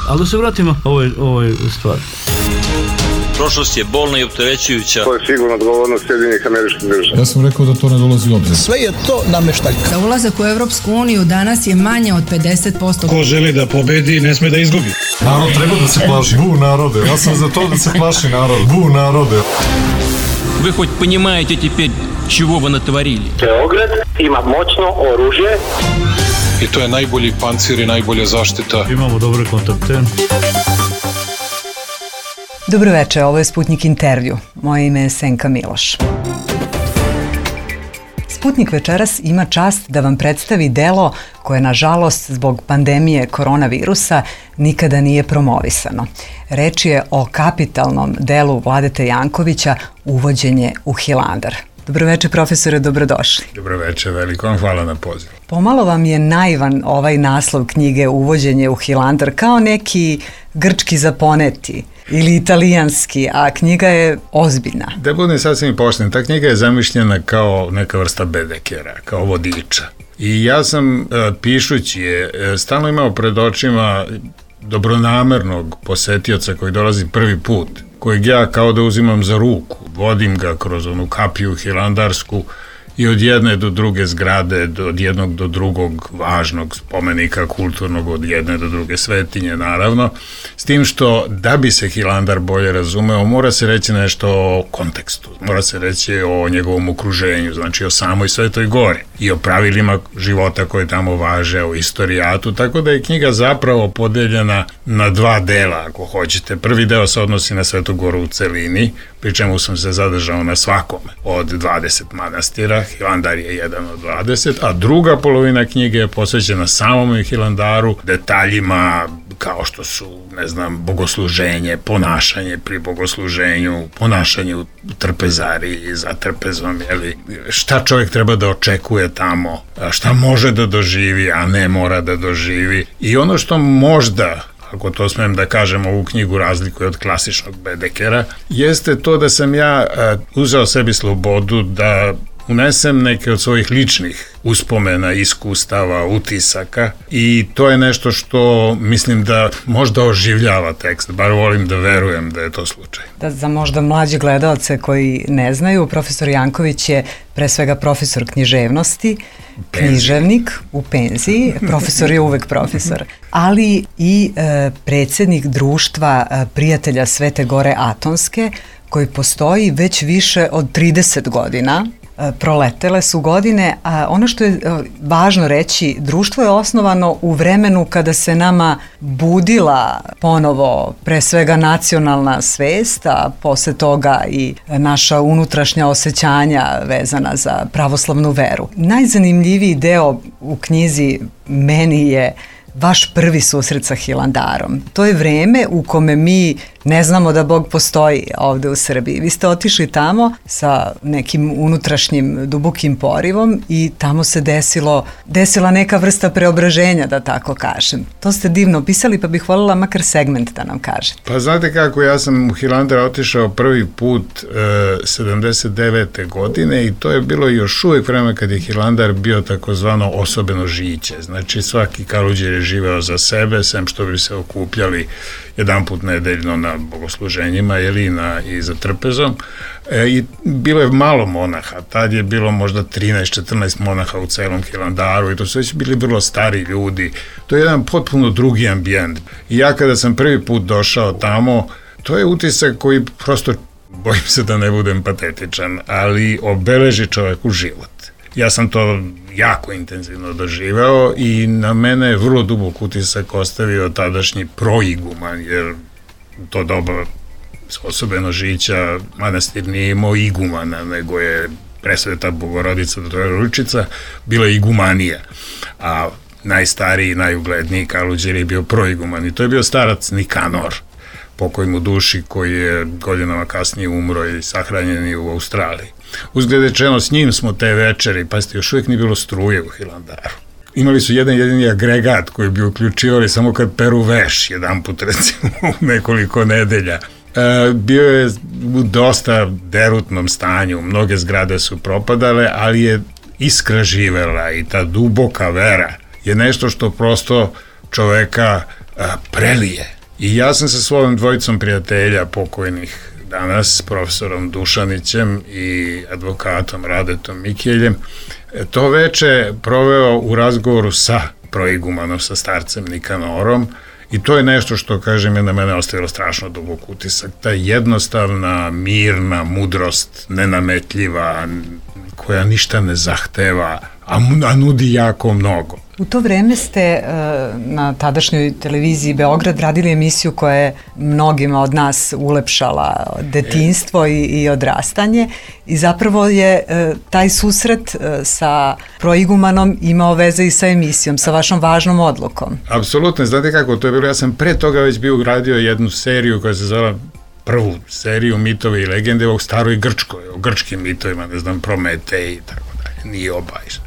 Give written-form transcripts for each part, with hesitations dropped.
Ali da se vratimo ovoj stvari. Prošlost je bolna i opterećujuća. To je sigurno odgovornost Sjedinjenih Američkih Država. Ja sam rekao da to ne dolazi u obzir. Sve je to nameštaljka. Za ulazak u Evropsku uniju danas je manje od 50%. Ko želi da pobedi, ne sme da izgubi. Narod treba da se plaši. Bu narode. Ja sam za to da se plaši narod. Bu narode. Вы хоть понимаете теперь, чего вы натворили? Beograd ima moćno oružje. I to je najbolji pancir i najbolja zaštita. Imamo dobre kontakte. Dobro večer, ovo je Sputnik intervju. Moje ime je Senka Miloš. Sputnik večeras ima čast da vam predstavi delo koje, nažalost, zbog pandemije koronavirusa nikada nije promovisano. Reč je o kapitalnom delu Vladete Jankovića Uvođenje u Hilandar. Dobro večer, profesore, dobrodošli. Dobro večer, veliko vam hvala na pozivu. Pomalo vam je naivan ovaj naslov knjige Uvođenje u Hilandar, kao neki grčki zaponeti ili italijanski, a knjiga je ozbiljna. Da budem sasvim pošten, ta knjiga je zamišljena kao neka vrsta bedekera, kao vodiča. I ja sam, pišući je, stalno imao pred očima dobronamernog posetioca koji dolazi prvi put, kojeg ja kao da uzimam za ruku, vodim ga kroz onu kapiju hilandarsku i od jedne do druge zgrade, od jednog do drugog važnog spomenika kulturnog, od jedne do druge svetinje, naravno, s tim što da bi se Hilandar bolje razumeo, mora se reći nešto o kontekstu, mora se reći o njegovom okruženju, znači o samoj Svetoj Gori i o pravilima života koje tamo važe, o istorijatu, tako da je knjiga zapravo podeljena na dva dela, ako hoćete. Prvi deo se odnosi na Svetu Goru u celini, pri čemu sam se zadržao na svakome od 20 manastira, Hilandar je jedan od 20, a druga polovina knjige je posvećena samom Hilandaru, detaljima kao što su, ne znam, bogosluženje, ponašanje pri bogosluženju, ponašanje u trpezariji, za trpezom, jeli, šta čovjek treba da očekuje tamo, šta može da doživi, a ne mora da doživi. I ono što možda, ako to smem da kažem, ovu knjigu razlikuje od klasičnog bedekera, jeste to da sam ja uzeo sebi slobodu da unesem neke od svojih ličnih uspomena, iskustava, utisaka i to je nešto što mislim da možda oživljava tekst, bar volim da verujem da je to slučaj. Da, za možda mlađi gledalce koji ne znaju, profesor Janković je pre svega profesor književnosti, književnik u penziji, profesor je uvek profesor, ali i predsjednik društva prijatelja Svete Gore Atonske, koji postoji već više od 30 godina. Proletele su godine, a ono što je važno reći, društvo je osnovano u vremenu kada se nama budila ponovo pre svega nacionalna svest, a posle toga i naša unutrašnja osjećanja vezana za pravoslavnu veru. Najzanimljiviji deo u knjizi meni je vaš prvi susret sa Hilandarom. To je vreme u kome mi ne znamo da Bog postoji ovde u Srbiji. Vi ste otišli tamo nekim unutrašnjim dubokim porivom i tamo se desila neka vrsta preobraženja, da tako kažem. To ste divno opisali, pa bih voljela makar segment da nam kažete. Pa znate kako, ja sam u Hilandar otišao prvi put 79. godine i to je bilo još uvek vreme kad je Hilandar bio takozvano osobeno žiće. Znači svaki Kaluđer je živeo za sebe, sem što bi se okupljali jedan put nedeljno na bogosluženjima i za trpezom. I bilo je malo monaha, tad je bilo možda 13-14 monaha u celom Hilandaru i to su već bili vrlo stari ljudi. To je jedan potpuno drugi ambijent. I ja kada sam prvi put došao tamo, to je utisak koji prosto, bojim se da ne budem patetičan, ali obeleži čoveku život. Ja sam to jako intenzivno doživeo i na mene je vrlo dubok utisak ostavio tadašnji proiguman, jer to doba osobeno žića manastir nije imao igumana, nego je Presveta Bogorodica Trojeručica bila igumanija, a najstariji, najugledniji Kaluđer je bio proiguman i to je bio starac Nikanor, pokoj mu duši, koji je godinama kasnije umro i sahranjen je u Australiji. Uzgled rečeno, s njim smo te večeri, pazite, još uvijek nije bilo struje u Hilandaru. Imali su jedan jedini agregat koji bi uključivali samo kad peru veš, jedan put recimo u nekoliko nedelja. Bio je u dosta derutnom stanju, mnoge zgrade su propadale, ali je iskra živela i ta duboka vera je nešto što prosto čoveka prelije. I ja sam sa svojom dvojicom prijatelja pokojnih danas, profesorom Dušanićem i advokatom Radetom Mikeljem, to veče proveo u razgovoru sa proigumanom, sa starcem Nikanorom, i to je nešto što, kažem, je na mene ostavilo strašno dubok utisak. Ta jednostavna, mirna mudrost, nenametljiva, koja ništa ne zahteva, a nudi jako mnogo. U to vreme ste na tadašnjoj televiziji Beograd radili emisiju koja je mnogima od nas ulepšala detinjstvo i odrastanje, i zapravo je taj susret sa proigumanom imao veze i sa emisijom, sa vašom važnom odlukom. Apsolutno, znate kako to je bilo, ja sam pre toga već bio uradio jednu seriju koja se zvala, prvu seriju Mitovi i legende o staroj Grčkoj, o grčkim mitovima, ne znam, Prometej i tako dalje, Nioba i što.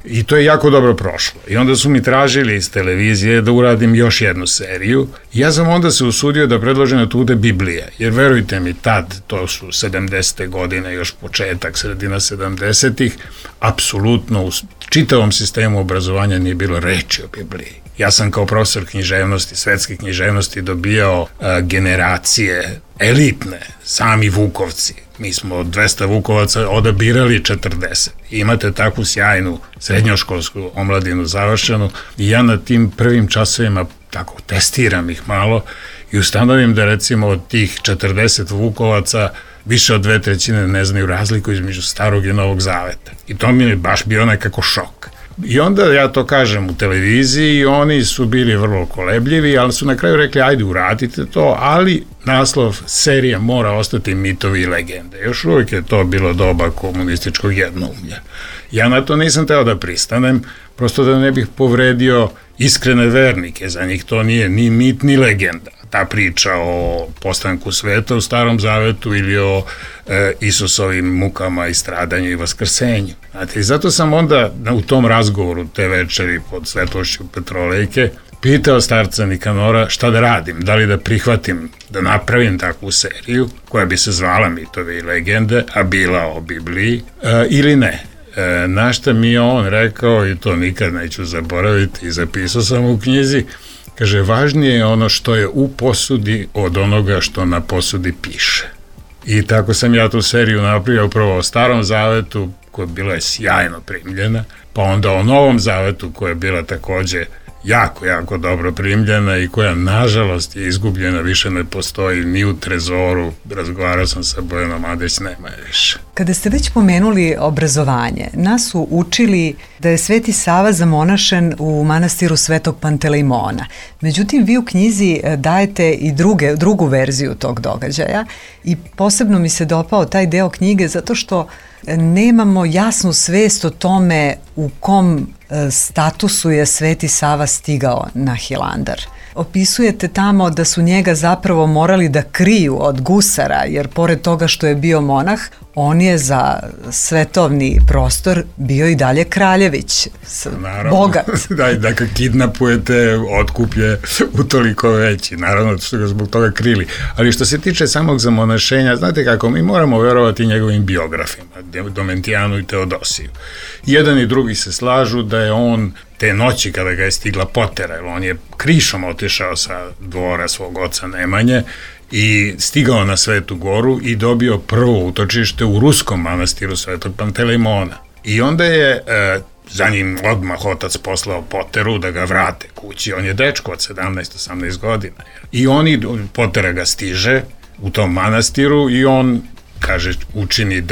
I to je jako dobro prošlo. I onda su mi tražili iz televizije da uradim još jednu seriju. Ja sam onda se usudio da predložim da to bude Biblija. Jer verujte mi, tad, to su 70. godine, još početak, sredina 70-ih, apsolutno u čitavom sistemu obrazovanja nije bilo reči o Bibliji. Ja sam kao profesor književnosti, svetske književnosti dobijao generacije elitne, sami Vukovci. Mi smo od 200 Vukovaca odabirali 40. Imate takvu sjajnu srednjoškolsku omladinu završenu i ja na tim prvim časovima tako testiram ih malo i ustanovim da recimo od tih 40 Vukovaca više od 2/3 ne znaju razliku između Starog i Novog Zaveta. I to mi je baš bio nekako šok. I onda ja to kažem u televiziji i oni su bili vrlo kolebljivi, ali su na kraju rekli ajde uradite to, ali naslov serija mora ostati Mitovi i legende. Još uvijek je to bilo doba komunističkog jednoumlja. Ja na to nisam teo da pristanem, prosto da ne bih povredio iskrene vernike, za njih to nije ni mit ni legenda. Ta priča o postanku sveta u Starom Zavetu ili o Isusovim mukama i stradanju i vaskrsenju. Znate, i zato sam onda u tom razgovoru te večeri pod svetlošću Petrolejke pitao starca Nikanora šta da radim, da li da prihvatim da napravim takvu seriju koja bi se zvala Mitovi i legende, a bila o Bibliji, ili ne. Na šta mi je on rekao, i to nikad neću zaboraviti i zapisao sam u knjizi, kaže, važnije je ono što je u posudi od onoga što na posudi piše. I tako sam ja tu seriju napravio upravo o Starom Zavetu, koja je bila sjajno primljena, pa onda o Novom Zavetu, koja je bila takođe jako, jako dobro primljena i koja, nažalost, je izgubljena, više ne postoji ni u trezoru. Razgovarao sam sa Bojanom Adeć, nema je više. Kada ste već pomenuli obrazovanje, nas su učili da je Sveti Sava zamonašen u manastiru Svetog Pantelejmona. Međutim, vi u knjizi dajete i drugu verziju tog događaja i posebno mi se dopao taj deo knjige zato što nemamo jasnu svest o tome u kom statusu je Sveti Sava stigao na Hilandar. Opisujete tamo da su njega zapravo morali da kriju od gusara, jer pored toga što je bio monah, on je za svetovni prostor bio i dalje kraljević, bogat. Da, da ga kidnapujete, otkup je utoliko veći, naravno što ga zbog toga krili. Ali što se tiče samog zamonašenja, znate kako, mi moramo verovati njegovim biografima, Domentijanu i Teodosiju. Jedan i drugi se slažu da je on te noći kada ga je stigla potera, jer on je krišom otišao sa dvora svog oca Nemanje i stigao na Svetu Goru i dobio prvo utočište u ruskom manastiru Svetog Pantelejmona. I onda je za njim odmah otac poslao poteru da ga vrate kući. On je dečko od 17-18 godina. I potera ga stiže u tom manastiru i on, kaže, učini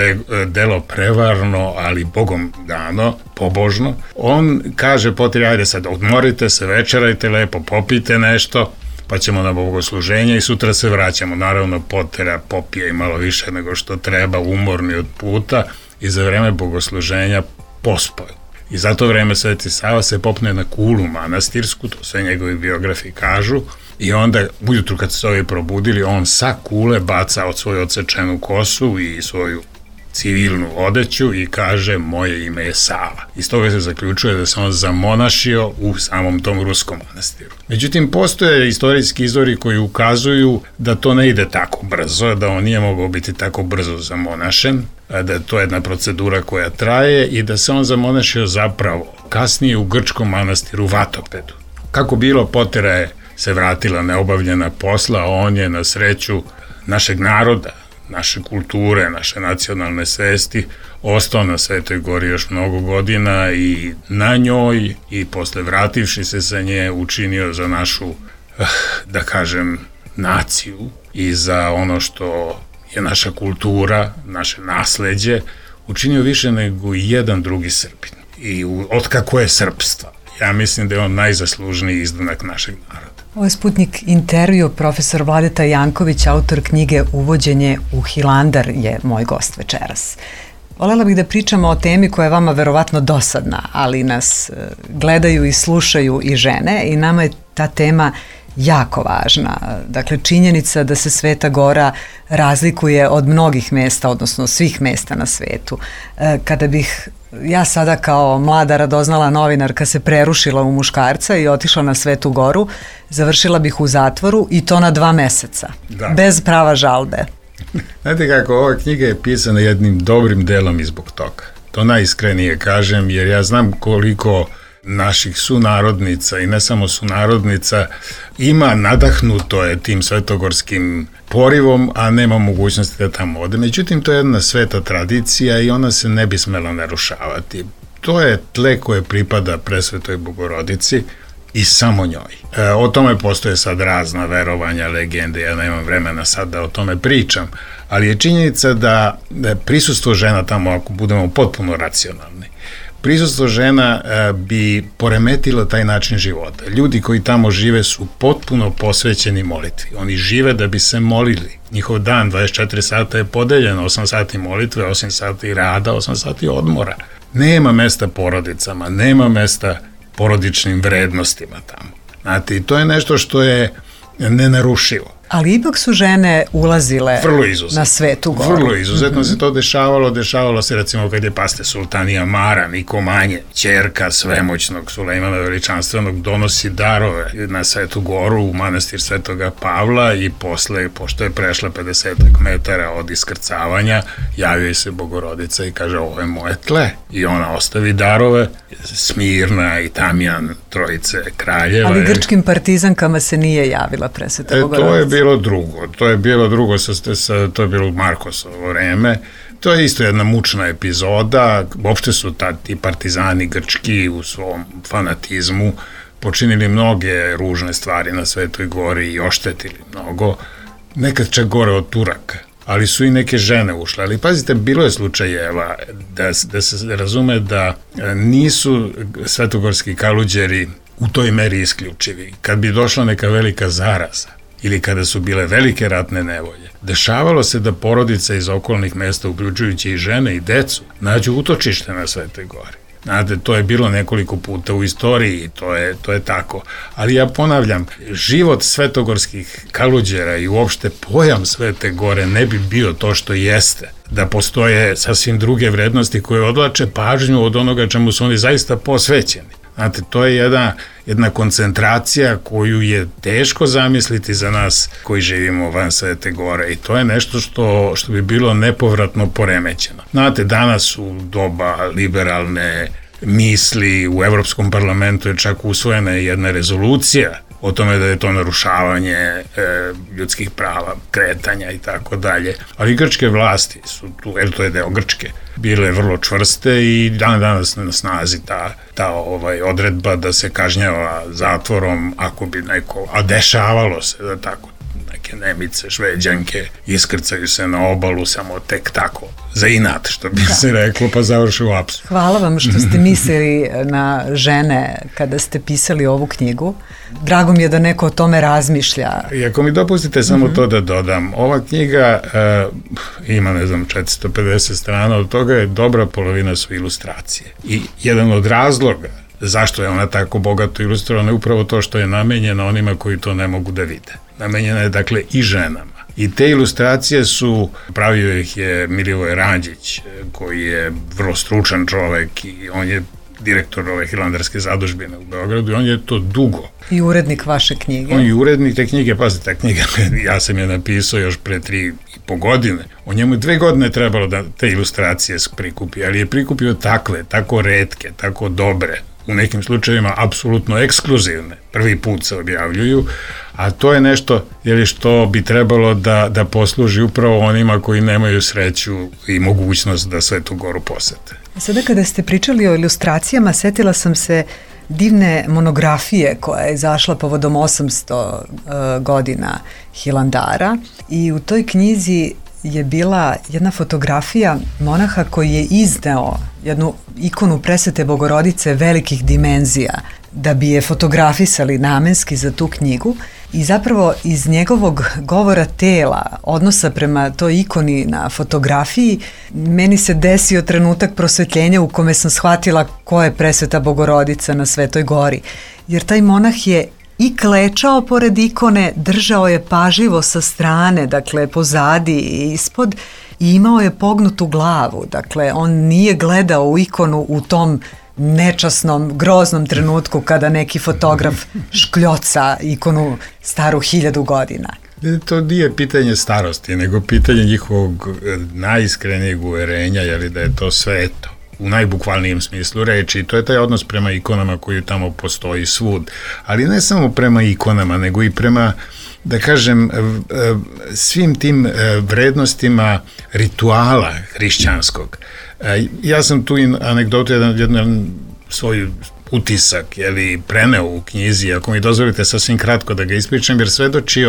delo prevarno, ali Bogom dano, pobožno. On kaže poteri, ajde sad odmorite se, večerajte lepo, popijte nešto, pa ćemo na bogosluženje i sutra se vraćamo. Naravno, potera popije i malo više nego što treba, umorni od puta, i za vreme bogosluženja pospaju. I za to vreme Sveti Sava se popne na kulu manastirsku, to sve njegovi biografi kažu, i onda ujutru kad se ovi probudili, on sa kule baca od svoju odsečenu kosu i svoju civilnu odeću i kaže moje ime je Sava. Iz toga se zaključuje da se on zamonašio u samom tom ruskom manastiru. Međutim, postoje istorijski izvori koji ukazuju da to ne ide tako brzo, da on nije mogao biti tako brzo zamonašen, da je to jedna procedura koja traje i da se on zamonašio zapravo kasnije u grčkom manastiru Vatopedu. Kako bilo, potera je se vratila neobavljena posla, a on je na sreću našeg naroda, naše kulture, naše nacionalne svesti, ostao na Svetoj Gori još mnogo godina i na njoj i posle vrativši se sa nje učinio za našu, da kažem, naciju i za ono što je naša kultura, naše nasleđe, učinio više nego jedan drugi Srbin. I otkako je srpstva, ja mislim da je on najzaslužniji izdanak našeg naroda. Ovo je Sputnik intervju, profesor Vladeta Janković, autor knjige Uvođenje u Hilandar je moj gost večeras. Volela bih da pričamo o temi koja je vama verovatno dosadna, ali nas gledaju i slušaju i žene i nama je ta tema jako važna. Dakle, činjenica da se Sveta Gora razlikuje od mnogih mesta, odnosno svih mesta na svetu. Kada bih ja sada kao mlada radoznala novinarka se prerušila u muškarca i otišla na Svetu Goru, završila bih u zatvoru i to na 2 meseca, bez prava žalbe. Znate kako, ova knjiga je pisana jednim dobrim delom i zbog toga. To najiskrenije kažem, jer ja znam koliko naših sunarodnica i ne samo sunarodnica ima, nadahnuto je tim svetogorskim porivom, a nema mogućnosti da tamo ode. Međutim, to je jedna sveta tradicija i ona se ne bi smela narušavati. To je tle koje pripada Presvetoj Bogorodici i samo njoj. O tome postoje sad razna verovanja, legende, ja nemam vremena sad da o tome pričam, ali je činjenica da prisustvo žena tamo, ako budemo potpuno racionalni, prisustvo žena bi poremetilo taj način života. Ljudi koji tamo žive su potpuno posvećeni molitvi. Oni žive da bi se molili. Njihov dan 24 sata je podeljen, 8 sati molitve, 8 sati rada, 8 sati odmora. Nema mesta porodicama, nema mesta porodičnim vrednostima tamo. Znate, i to je nešto što je nenarušivo. Ali ipak su žene ulazile na Svetu Goru. Vrlo izuzetno se to dešavalo se recimo kad je paste sultanija Mara, Niko Manje, ćerka svemoćnog Sulejmana Veličanstvenog, donosi darove na Svetu Goru u manastir Svetoga Pavla i posle, pošto je prešla 50 metara od iskrcavanja, javio se Bogorodica i kaže ovo je moje tle. I ona ostavi darove, Smirna i Tamjan, trojice kraljeva. Ali grčkim partizankama se nije javila Presveta Bogorodica. To je bilo drugo, to je bilo Markosovo vreme. To je isto jedna mučna epizoda. Uopšte su ti partizani grčki u svom fanatizmu počinili mnoge ružne stvari na Svetoj Gori i oštetili mnogo. Nekad čak gore od Turaka. Ali su i neke žene ušle. Ali pazite, bilo je slučajeva da se razume da nisu svetogorski kaluđeri u toj meri isključivi. Kad bi došla neka velika zaraza ili kada su bile velike ratne nevolje, dešavalo se da porodice iz okolnih mesta, uključujući i žene i decu, nađu utočište na Svetoj Gori. Znate, to je bilo nekoliko puta u istoriji, to je tako. Ali ja ponavljam, život svetogorskih kaluđera i uopšte pojam Svete Gore ne bi bio to što jeste, da postoje sasvim druge vrednosti koje odlače pažnju od onoga čemu su oni zaista posvećeni. Znate, to je jedna koncentracija koju je teško zamisliti za nas koji živimo van Svete Gore i to je nešto što bi bilo nepovratno poremećeno. Znate, danas u doba liberalne misli u Evropskom parlamentu je čak usvojena jedna rezolucija o tome da je to narušavanje ljudskih prava, kretanja i tako dalje. Ali grčke vlasti su tu, jer to je deo Grčke, bile vrlo čvrste i danas na snazi ta odredba da se kažnjava zatvorom ako bi neko, a dešavalo se da tako neke Nemice, Šveđanke iskrcaju se na obalu samo tek tako, za inat, što bi se reklo, pa završi u apsu. Hvala vam što ste mislili na žene kada ste pisali ovu knjigu. Drago mi je da neko o tome razmišlja. I ako mi dopustite samo to da dodam, ova knjiga ima, 450 strana, od toga je dobra polovina su ilustracije. I jedan od razloga zašto je ona tako bogato ilustrovana je upravo to što je namenjena onima koji to ne mogu da vide. Namenjena je dakle i ženama. I te ilustracije pravio ih je Milivoj Ranđić, koji je vrlo stručan čovek i on je direktor ove hilandarske zadužbine u Beogradu i on je to dugo. I urednik vaše knjige. On je urednik te knjige, pazite, ta knjiga, ja sam je napisao još pre 3,5 godine. O njemu 2 godine trebalo da te ilustracije prikupi, ali je prikupio takve, tako retke, tako dobre, u nekim slučajevima apsolutno ekskluzivne, prvi put se objavljuju, a to je nešto što bi trebalo da posluži upravo onima koji nemaju sreću i mogućnost da Svetu Goru posete. Sada kada ste pričali o ilustracijama, setila sam se divne monografije koja je izašla povodom 800 godina Hilandara i u toj knjizi je bila jedna fotografija monaha koji je izneo jednu ikonu Presvete Bogorodice velikih dimenzija da bi je fotografisali namenski za tu knjigu i zapravo iz njegovog govora tela, odnosa prema toj ikoni na fotografiji, meni se desio trenutak prosvetljenja u kome sam shvatila ko je Presveta Bogorodica na Svetoj Gori. Jer taj monah je i klečao pored ikone, držao je pažljivo sa strane, dakle pozadi i ispod, i imao je pognutu glavu, dakle on nije gledao u ikonu u tom nečasnom, groznom trenutku kada neki fotograf škljoca ikonu staru 1000 godina. To nije pitanje starosti, nego pitanje njihovog najiskrenijeg uverenja, da je to sveto u najbukvalnijem smislu reči. To je taj odnos prema ikonama koji tamo postoji svud. Ali ne samo prema ikonama, nego i prema, da kažem, svim tim vrednostima rituala hrišćanskog. Ja sam tu anegdotu, jedan svoj utisak preneo u knjizi, ako mi dozvolite sasvim kratko da ga ispričam, jer svedoči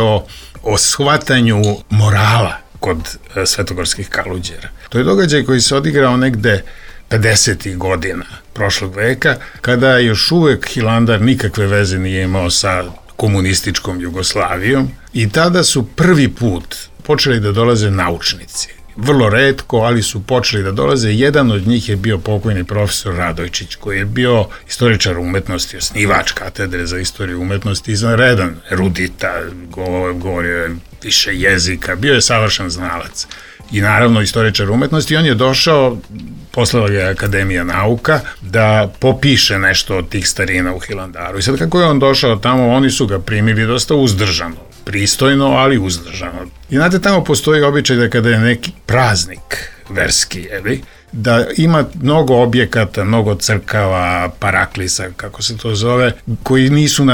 o shvatanju morala kod svetogorskih kaluđera. To je događaj koji se odigrao negde 50. godina prošlog veka, kada još uvek Hilandar nikakve veze nije imao sa komunističkom Jugoslavijom i tada su prvi put počeli da dolaze naučnici. Vrlo retko, ali su počeli da dolaze. Jedan od njih je bio pokojni profesor Radojčić, koji je bio istoričar umetnosti, osnivač katedre za istoriju umetnosti, izvanredan erudita, govorio je više jezika, bio je savršen znalac. I naravno istoričar umetnosti, on je došao, poslala ga je Akademija nauka, da popiše nešto od tih starina u Hilandaru. I sad kako je on došao tamo, oni su ga primili dosta uzdržano, pristojno, ali uzdržano. I znate, tamo postoji običaj da kada je neki praznik verski, da ima mnogo objekata, mnogo crkava, paraklisa, kako se to zove, koji nisu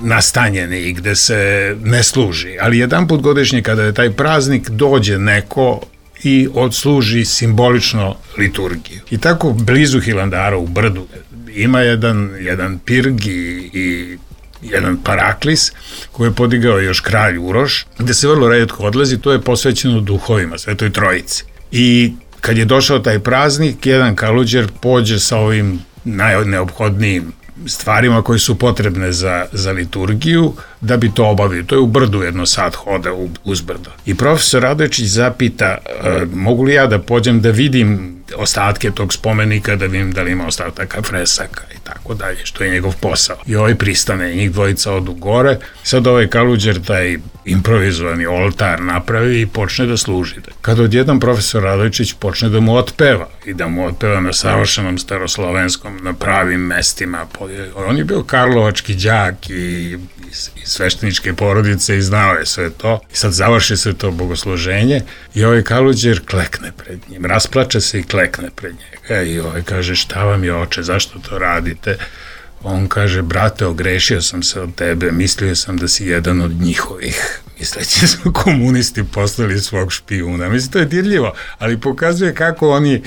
nastanjeni i gde se ne služi. Ali jedan put godišnje kada je taj praznik, dođe neko i odsluži simbolično liturgiju. I tako blizu Hilandara u brdu ima jedan pirg i jedan paraklis koji je podigao još kralj Uroš, gde se vrlo retko odlazi, to je posvećeno duhovima, Svetoj Trojici. I kad je došao taj praznik, jedan kaluđer pođe sa ovim najneophodnijim stvarima koje su potrebne za liturgiju da bi to obavio. To je u brdu jedno sat hoda uz brdo. I profesor Radojčić zapita, mogu li ja da pođem da vidim ostatke tog spomenika, da vidim da li ima ostataka fresaka i tako dalje, što je njegov posao. I ovaj pristane, njih dvojica odu gore, sad ovaj kaluđer taj improvizovani oltar napravi i počne da služi. Kad odjedan profesor Radojčić počne da mu otpeva i da mu otpeva na savršenom staroslovenskom, na pravim mestima. On je bio karlovački đak i svešteničke porodice i znao je sve to. I sad završi se to bogosluženje i ovaj kaluđer klekne pred njim, rasplače se i klekne pred njega. I ovaj kaže, šta vam je, oče, zašto to radite? On kaže, brate, ogrešio sam se od tebe, mislio sam da si jedan od njihovih. Misleći su komunisti poslali svog špijuna. Mislim, to je dirljivo, ali pokazuje kako oni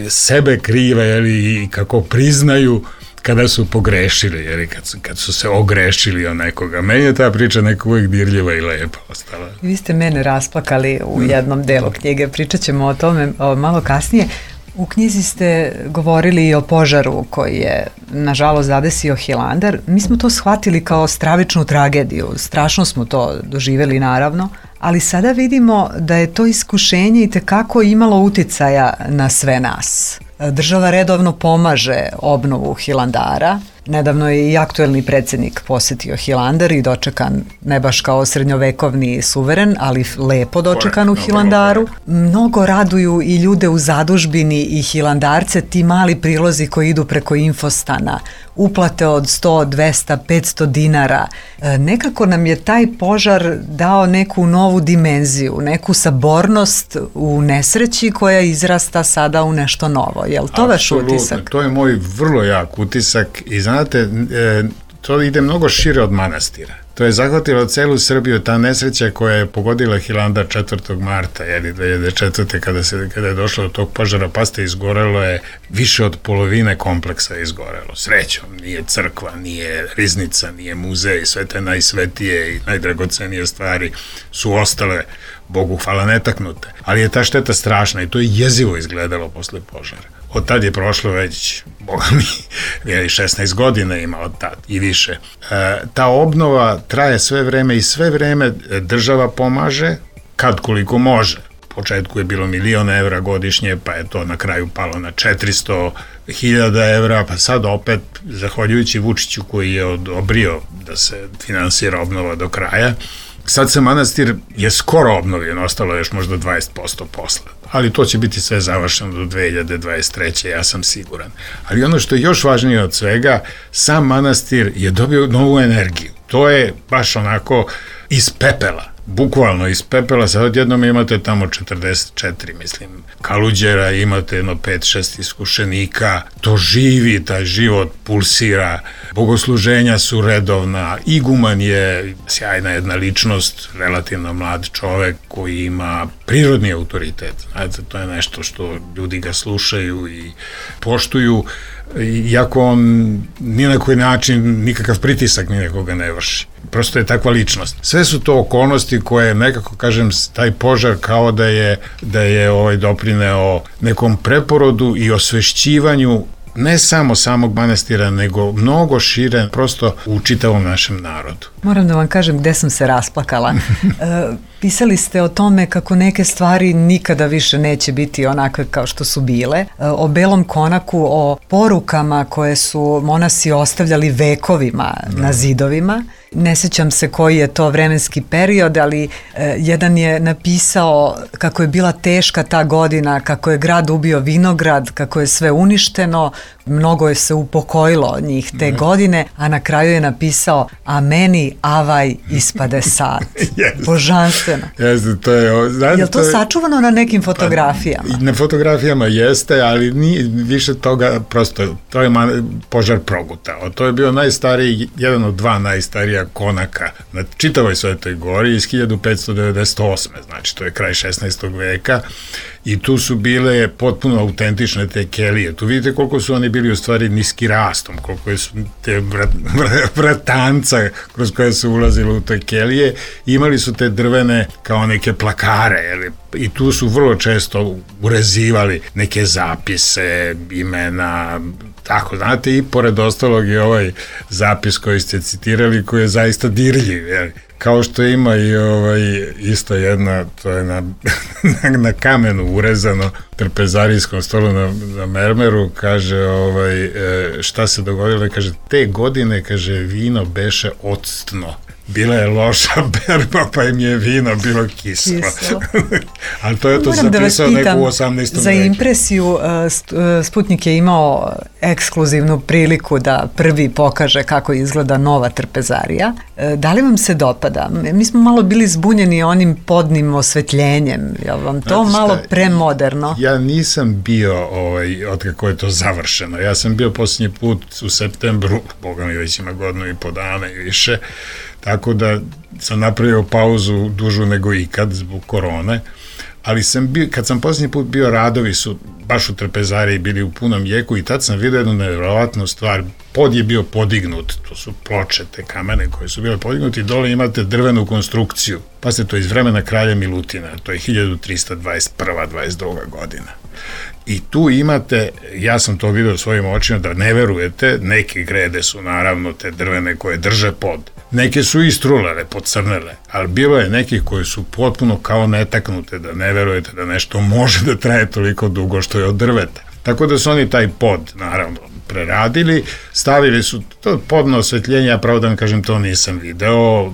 sebe krive i kako priznaju kada su pogrešili, kad su se ogrešili o nekoga. Meni je ta priča nekako uvijek dirljiva i lepa ostala. Vi ste mene rasplakali u jednom delu knjige, pričat ćemo o tome malo kasnije. U knjizi ste govorili i o požaru koji je, nažalost, zadesio Hilandar. Mi smo to shvatili kao stravičnu tragediju, strašno smo to doživjeli, naravno, ali sada vidimo da je to iskušenje i tekako imalo uticaja na sve nas. Država redovno pomaže obnovu Hilandara Nedavno je i aktuelni predsjednik posetio Hilandar i dočekan ne baš kao srednjovekovni suveren, ali lepo dočekan u Hilandaru. Mnogo raduju i ljude u zadužbini i Hilandarce ti mali prilozi koji idu preko infostana, uplate od 100, 200, 500 dinara. Nekako nam je taj požar dao neku novu dimenziju, neku sabornost u nesreći koja izrasta sada u nešto novo. Je li to vaš utisak? To je moj vrlo jak utisak i znate, to ide mnogo šire od manastira. To je zahvatilo celu Srbiju, ta nesreća koja je pogodila Hilandar 4. marta 2004. kada je došlo do tog požara, pazite, izgorelo je više od polovine kompleksa izgorelo. Srećom, nije crkva, nije riznica, nije muzej, sve te najsvetije i najdragocenije stvari su ostale, Bogu hvala, netaknute. Ali je ta šteta strašna i to je jezivo izgledalo posle požara. Od tad je prošlo već, boga mi, 16 godina ima od tad i više. Ta obnova traje sve vreme i sve vreme država pomaže kad koliko može. U početku je bilo 1.000.000 evra godišnje, pa je to na kraju palo na 400.000 evra, pa sad opet, zahvaljujući Vučiću koji je odobrio da se finansira obnova do kraja, sad se manastir je skoro obnovljen, ostalo je još možda 20% posla. Ali to će biti sve završeno do 2023. ja sam siguran. Ali ono što je još važnije od svega, sam manastir je dobio novu energiju. To je baš onako iz pepela, bukvalno iz pepela. Sad odjednom imate tamo 44, mislim, kaluđera, imate jedno 5-6 iskušenika, to živi, taj život pulsira, bogosluženja su redovna, iguman je sjajna jedna ličnost, relativno mlad čovek koji ima prirodni autoritet. Znate, to je nešto što ljudi ga slušaju i poštuju, iako on ni na koji način nikakav pritisak ni nekoga ne vrši. Prosto je takva ličnost. Sve su to okolnosti koje nekako, kažem, taj požar kao da je doprineo nekom preporodu i osvešćivanju ne samo samog manastira, nego mnogo šire, prosto u čitavom našem narodu. Moram da vam kažem gde sam se rasplakala. Pisali ste o tome kako neke stvari nikada više neće biti onakve kao što su bile. O belom konaku, o porukama koje su monasi ostavljali vekovima na zidovima. Ne sjećam se koji je to vremenski period, ali jedan je napisao kako je bila teška ta godina, kako je grad ubio vinograd, kako je sve uništeno, mnogo je se upokojilo njih te godine, a na kraju je napisao: a meni avaj ispade sad. Božanstveno. To je, je li to sačuvano na nekim fotografijama? Na fotografijama jeste, ali nije više toga, prosto, to je požar progutao. To je bio najstariji, jedan od dva najstarija konaka na čitavoj Svetoj gori iz 1598. Znači, to je kraj 16. veka i tu su bile potpuno autentične te kelije. Tu vidite koliko su oni bili u stvari niski rastom, koliko su te vratanca kroz koje su ulazili u te kelije. Imali su te drvene kao neke plakare, i tu su vrlo često urezivali neke zapise, imena, tako, znate, i pored ostalog je ovaj zapis koji ste citirali, koji je zaista dirljiv, kao što ima i isto jedna, to je na kamenu urezano, trpezarijskom stolu na mermeru, kaže, šta se dogodilo, kaže, te godine, kaže, vino beše octno. Bila je loša berba, pa im je vino bilo kislo. Ali to je to zapisao neko u 18. veku. Za impresiju Sputnik je imao ekskluzivnu priliku da prvi pokaže kako izgleda nova trpezarija. Da li vam se dopada? Mi smo malo bili zbunjeni onim podnim osvetljenjem. Je li vam to malo premoderno? Ja nisam bio od kako je to završeno. Ja sam bio posljednji put u septembru, boga mi već ima godinu i po dana i više, tako da sam napravio pauzu dužu nego ikad zbog korone, ali kad sam posljednji put bio, radovi su baš u trpezariji bili u punom jeku i tad sam vidio jednu nevjerovatnu stvar. Pod je bio podignut, to su ploče, te kamene koje su bile podignuti, i dole imate drvenu konstrukciju. Pa se to iz vremena kralja Milutina, to je 1321-22 godina. I tu imate, ja sam to vidio svojim očima, da ne verujete, neke grede su naravno te drvene koje drže pod. Neke su istrulale, pocrnele, ali bilo je nekih koji su potpuno kao netaknute, da ne verujete da nešto može da traje toliko dugo što je od drveta. Tako da su oni taj pod, naravno, preradili, stavili su to podno osvetljenje, ja pravo da vam kažem, to nisam video,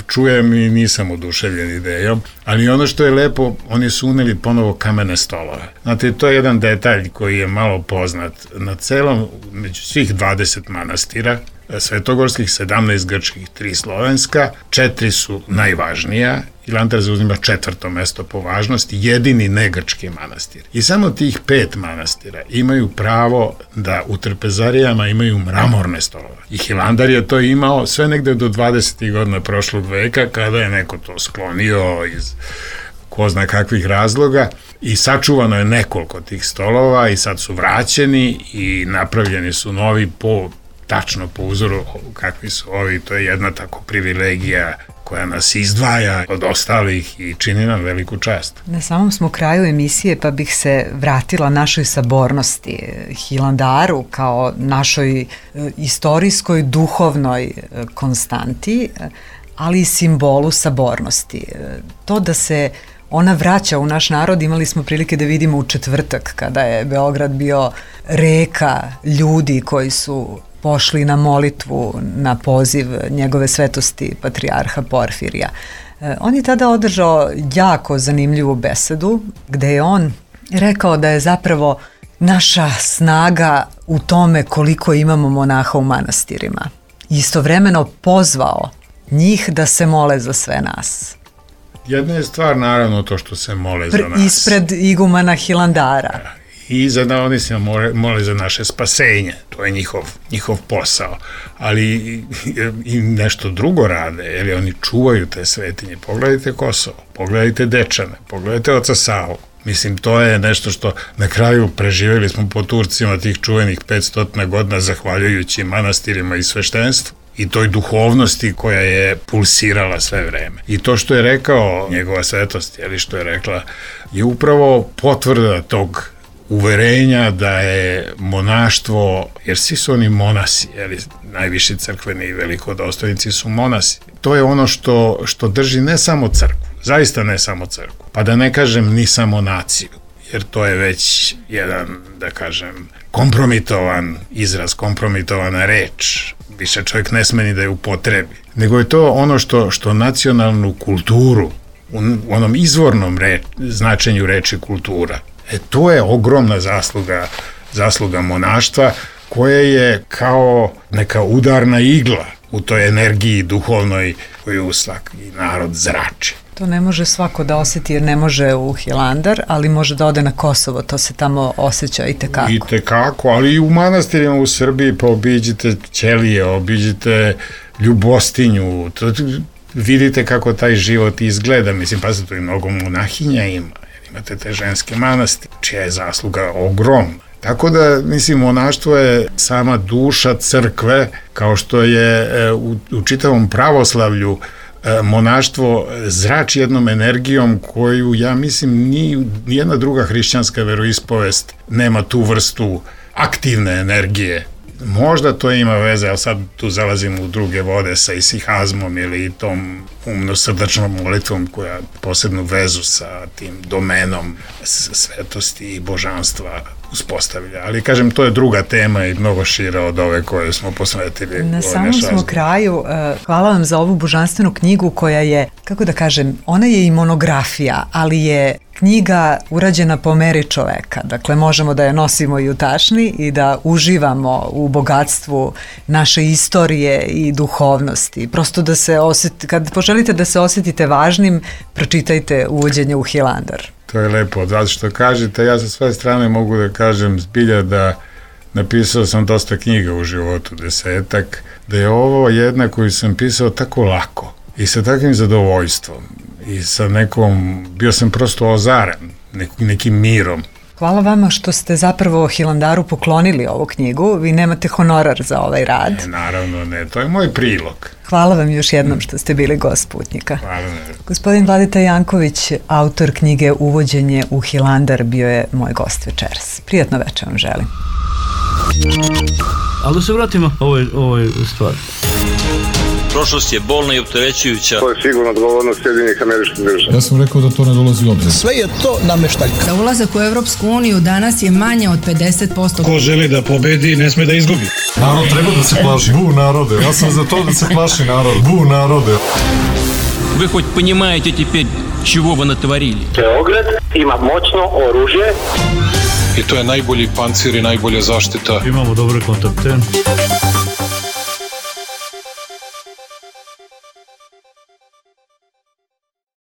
čujem i nisam oduševljen idejom, ali ono što je lepo, oni su uneli ponovo kamene stolove. Znate, to je jedan detalj koji je malo poznat. Na celom, među svih 20 manastira, svetogorskih, 17 grčkih, 3 slovenska, 4 su najvažnija, Hilandar zauzima 4. mesto po važnosti, jedini negrčki manastir. I samo tih 5 manastira imaju pravo da u trpezarijama imaju mramorne stolove. I Hilandar je to imao sve negde do 20. godina prošlog veka, kada je neko to sklonio iz ko zna kakvih razloga i sačuvano je nekoliko tih stolova i sad su vraćeni i napravljeni su novi tačno po uzoru kakvi su ovi. To je jedna tako privilegija koja nas izdvaja od ostalih i čini nam veliku čast. Na samom smo kraju emisije, pa bih se vratila našoj sabornosti, Hilandaru kao našoj istorijskoj, duhovnoj konstanti, ali i simbolu sabornosti. To da se ona vraća u naš narod, imali smo prilike da vidimo u četvrtak, kada je Beograd bio reka ljudi koji su pošli na molitvu na poziv njegove svetosti patrijarha Porfirija. On je tada održao jako zanimljivu besedu, gde je on rekao da je zapravo naša snaga u tome koliko imamo monaha u manastirima. Istovremeno pozvao njih da se mole za sve nas. Jedna je stvar naravno to što se mole za nas. Ispred igumana Hilandara. I oni se mole za naše spasenje, to je njihov posao, ali i nešto drugo rade, jer oni čuvaju te svetinje. Pogledajte Kosovo, pogledajte Dečane, pogledajte Oca Savu. Mislim, to je nešto što na kraju preživjeli smo po Turcima tih čuvenih 500 godina zahvaljujući manastirima i sveštenstvu i toj duhovnosti koja je pulsirala sve vreme. I to što je rekao njegova svetost, što je rekla, je upravo potvrda tog uverenja da je monaštvo, jer svi su oni monasi, najviši crkveni i velikodostojnici su monasi. To je ono što drži ne samo crkvu, zaista ne samo crkvu, pa da ne kažem ni samo naciju, jer to je već jedan, da kažem, kompromitovan izraz, kompromitovana reč, više čovjek ne sme ni da je upotrebi, nego je to ono što nacionalnu kulturu, u onom izvornom značenju reči kultura, to je ogromna zasluga monaštva koja je kao neka udarna igla u toj energiji duhovnoj koju svaki narod zrači. To ne može svako da osjeti jer ne može u Hilandar, ali može da ode na Kosovo, to se tamo osjeća i tekako. I tekako, ali i u manastirima u Srbiji, pa obiđite Ćelije, obiđite Ljubostinju, vidite kako taj život izgleda, mislim, pa se tu i mnogo monahinja ima. Imate te ženske manastire, čija je zasluga ogromna. Tako da, mislim, monaštvo je sama duša crkve, kao što je u čitavom pravoslavlju monaštvo zrači jednom energijom koju, ja mislim, nijedna druga hrišćanska veroispovest nema tu vrstu aktivne energije. Možda to ima veze, ali sad tu zalazimo u druge vode sa isihazmom ili tom umno-srdačnom molitvom koja posebnu vezu sa tim domenom svetosti i božanstva uspostavlja. Ali, kažem, to je druga tema i mnogo šira od ove koje smo posvetili. Na samom smo kraju. Hvala vam za ovu božanstvenu knjigu koja je, kako da kažem, ona je i monografija, ali je knjiga urađena po meri čoveka. Dakle, možemo da je nosimo i u tašni i da uživamo u bogatstvu naše istorije i duhovnosti. Prosto da se kad poželite da se osjetite važnim, pročitajte Uvođenje u Hilandar. To je lepo, zato što kažete, ja sa sve strane mogu da kažem zbilja da napisao sam dosta knjiga u životu, 10, da je ovo jedna koju sam pisao tako lako i sa takvim zadovoljstvom i sa bio sam prosto ozaren nekim mirom. Hvala vama što ste zapravo Hilandaru poklonili ovu knjigu. Vi nemate honorar za ovaj rad. Ne, naravno ne, to je moj prilog. Hvala vam još jednom što ste bili gost Putnika. Hvala. Gospodin Vladeta Janković, autor knjige Uvođenje u Hilandar, bio je moj gost večeras. Prijatno večer vam želim. Ali da se vratimo ovoj stvari. Prošlost je bolna i opterećujuća. To je sigurno odgovornost Sjedinjenih Američkih Država. Ja sam rekao da to ne dolazi u obzir. Sve je to nameštaljka. Za ulazak u Europsku uniju danas je manje od 50%. Ko želi da pobedi, ne sme da izgubi. Narod treba da se plaši. Bu narode, ja sam za to da se plaši narod. Bu narode. Вы хоть понимаете теперь, чего вы натворили? Beograd ima moćno oružje. I to je najbolji pancir i najbolja zaštita. Imamo dobre kontakte.